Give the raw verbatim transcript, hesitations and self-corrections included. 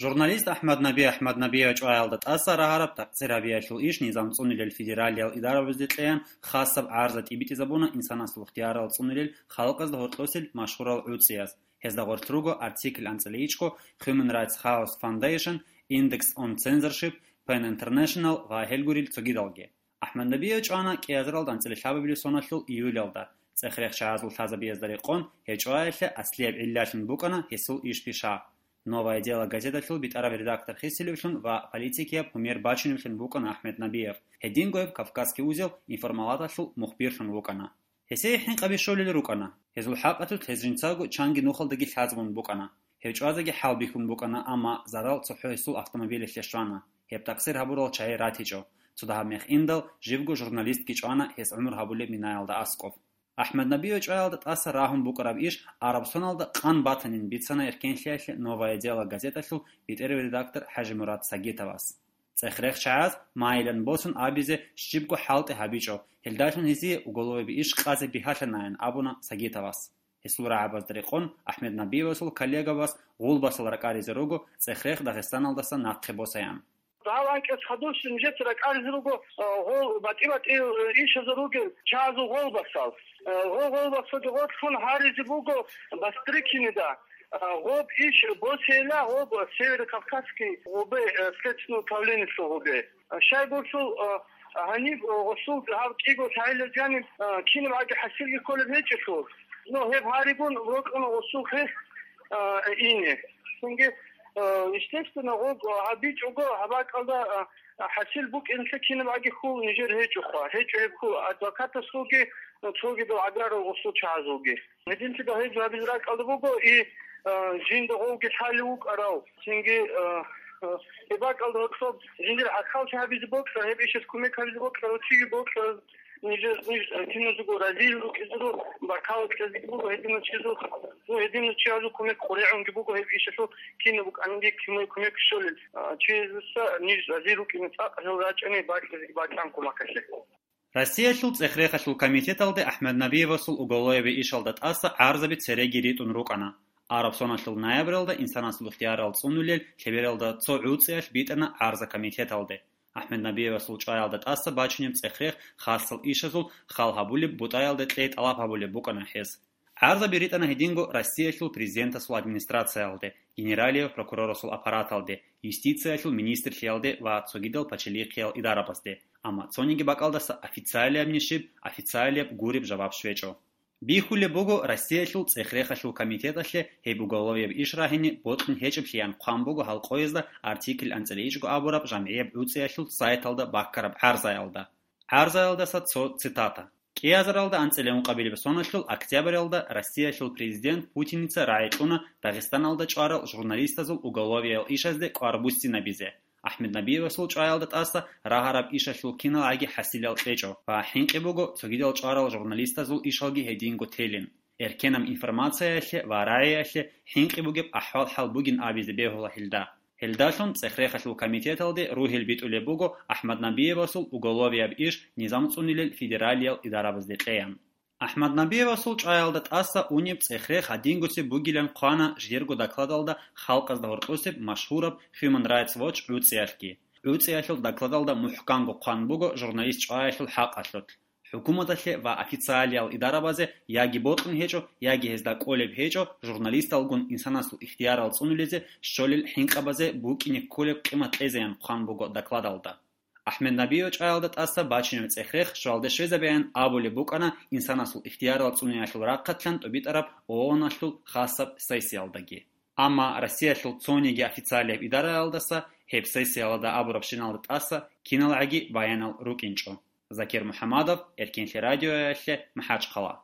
Журналист АхӀмад Наби АхӀмаднабиев чӀваялда тӀаса рагьараб такъсир гьабиялъул иш низам цӀунилел федералиял идарабазде кьеян хасаб гӀарза тӀибитӀизабуна инсанасул ихтиярал цӀунилел халкъазда гьоркьосел машгьурал гӀуцӀияз. Гьезда гъорлъ руго Article анцӀила ичӀго, Human Rights House Foundation, Index on Censorship, ПЕН International ва гьел гурел цогидалги. АхӀмаднабиев чӀвана кӀиазаралда анцӀила лъабабилеб соналъул июлялда. ЦӀех-рех чагӀазул лъазабиязда рекъон, гьев чӀваялъе аслияб гӀиллалъун букӀана гьесул иш-пиша. «Новое дело» газеталъул битӀараб редактор хисилевлъун ва политикияб гьумер бачуневлъун вукӀана АхӀмаднабиев. Гьединго гьев «Кавказский узел» информалаталъул мухбирлъун вукӀана. Гьесие хӀинкъаби щолел рукӀана. Гьезул хӀакъалъулъ гьез жинцаго чанги нухалдаги лъазабун букӀана. Гьев чӀвазеги хӀалбихьун букӀана, амма зарал цохӀо гьесул автомобилалъе щвана. Гьеб такъсир гьабурал чагӀи ратичӀо. Цо дагьаб мех индал, живго журналистги чӀвана гьес гӀумру гьабулеб минаялда аскӀоб. АхӀмаднабиев чӀваялда тӀаса рагьун букӀараб иш Арабсоналда къан батанин бицана эркенлъиялъе «Новое дело» газеталъул битӀерав редактор ХӀажимурад Сагитовас. ЦӀех-рех чагӀаз майилан босун абизе щибго хӀалтӀи гьабичӀо, гьелдалъун гьезие уголоваби иш къазе бигьалъанайин абуна Сагитовас. Гьесул рагӀабазда рекъон, АхӀмаднабиевасул коллегабаз гъулбасал ракӀаризе руго цӀех-рех Дагъистаналдаса нахъе босаян. Гьав анкьас хадурщин нижеца ракӀаризе руго, а, гъол батӀи-батӀи, э, ишазул ругел чагӀазул гъолбасал. Э, гъо-, гъолбасалги гъорлъун гьаризе буго Бастрыкинида. А, гъоб иш босейила гъоб Северо-Кавказский гъубе, э, следственное управлениелъул гъубе. А, щайгурелъул, а, гьаниб, а, гъосул гьав кӀиго лъагӀел жаниб, а, кинаб гӀаги хӀасилги кколеб гьечӀелъул. Ну, гьеб гьаригун рокьуна гъосул хех, а, ине. Цинги, а, естественно, гъоб, а, гьабичӀого гьаб бакӀалда, а, хӀасил букӀиналъе кинаб гӀаги хьул нижер гьечӀоха. ГьечӀо гьеб хьул адвокатасулги, а, цогидал гӀагарал гъосул чагӀазулги. Гьединлъидал гьеб гьабизе ракӀалда буго и, а, жинда гъовги лъалев вукӀарав, цинги, а, а, гьеб бакӀалда гьоркьоб жиндир гӀахьаллъи гьабизе бокьа, гьеб ишас кумек гьабизе бокьарав чиги бокьа, нижер, ниж, а, киназего разил рукӀизару, баркала кьезе буго гьединав чиясул, ну, гьединав чиязул кумек къоригӀунги буго гьеб ишалъул кинаб букӀаниги кумек, кумек щолел, а, чиясдаса ниж разил рукӀине цӀакъ гьел рачӀани бакьизе бакьан кумекалъе. Россиялъул цӀех-рехалъул комитеталде АхӀмаднабиевасул уголоваби ишалда тӀаса гӀарзаби цереги ритӀун рукӀана. Арабсоналъул ноябралда инсанасул ихтиярал цӀунулел лъебералда цо гӀуцӀиялъ битӀана гӀарза комитеталде. АхӀмаднабиевасул чӀваялда тӀаса бачунеб цӀех-рех хасал ишазул хал гьабулеб бутӀаялда кьей тӀалаб гьабулеб букӀана гьез. ГӀарзаби ритӀана гьединго Россиялъул президентасул администрациялде, генералияв прокурорасул аппараталде, юстициялъул министрлъиялде ва цогидал пачалихъиял идарабазде, амма цониги бакӀалдаса официалиябни щиб, официалияб гуреб жаваб щвечӀо. Бихьулеб буго, Россиялъул цӀех-рехалъул комитеталъе гьеб уголовияб иш рагьине бокьун гьечӀеблъиян хъван буго гьал къоязда Артикль анцӀила ичӀго абураб жамгӀияб гӀуцӀиялъул сайталда баккараб гӀарзаялда. ГӀарзаялдаса цо цитата. КӀиазаралда анцӀила ункъабилеб соналъул октябралда Россиялъул президент Путиница рагӀи кьуна Дагъистаналда чӀварал журналистазул уголовиял ишазде кӀвар буссинабизе. АхӀмаднабиевасул чӀваялда тӀаса рагьараб ишалъул киналгӀаги хӀасилал кьечӀо ва хӀинкъи буго цогидал чӀварал журналистазул ишалги гьединго телин. Эркенаб информациялъе ва рагӀиялъе хӀинкъи бугеб ахӀвал-хӀал бугин абизе бегьула гьелда. Гьелдалъун цӀех-рехалъул комитеталде ругьел битӀулеб буго АхӀмаднабиевасул уголовияб иш низам цӀунилел федералиял идарабазде кьеян. АхӀмаднабиевасул чӀваялда тӀаса унеб цӀех-рех гьадингусеб бугилан хъвана жидерго докладалда халкъазда гьоркьосеб машгьураб Human Rights Watch гӀуцӀиялъги. ГӀуцӀиялъул докладалда мухӀканго хъван буго журналист чӀваялъул хӀакъалъулъ. ХӀукуматалъе ва официалиял идарабазе яги бокьун гьечӀо, яги гьезда кӀолеб гьечӀо журналисталгун инсанасул ихтиярал цӀунулезе щолел хӀинкъабазе букӀине кколеб къимат кьезеян хъван буго докладалда. АхӀмаднабиев чӀваялда тӀаса бачунеб цӀех-рех щвалде щвезабеян абулеб букӀана инсанасул ихтиярал цӀуниялъул рахъалъан тӀубитӀараб ООН-алъул хасаб сессиялдаги. Амма Россиялъул цониги официалияб идараялдаса гьеб сессиялда абурабщиналда тӀаса киналгӀаги баянал рукӀинчӀо. Закир МухӀамадов, Эркенлъи радиоялъе, МахӀачхъала.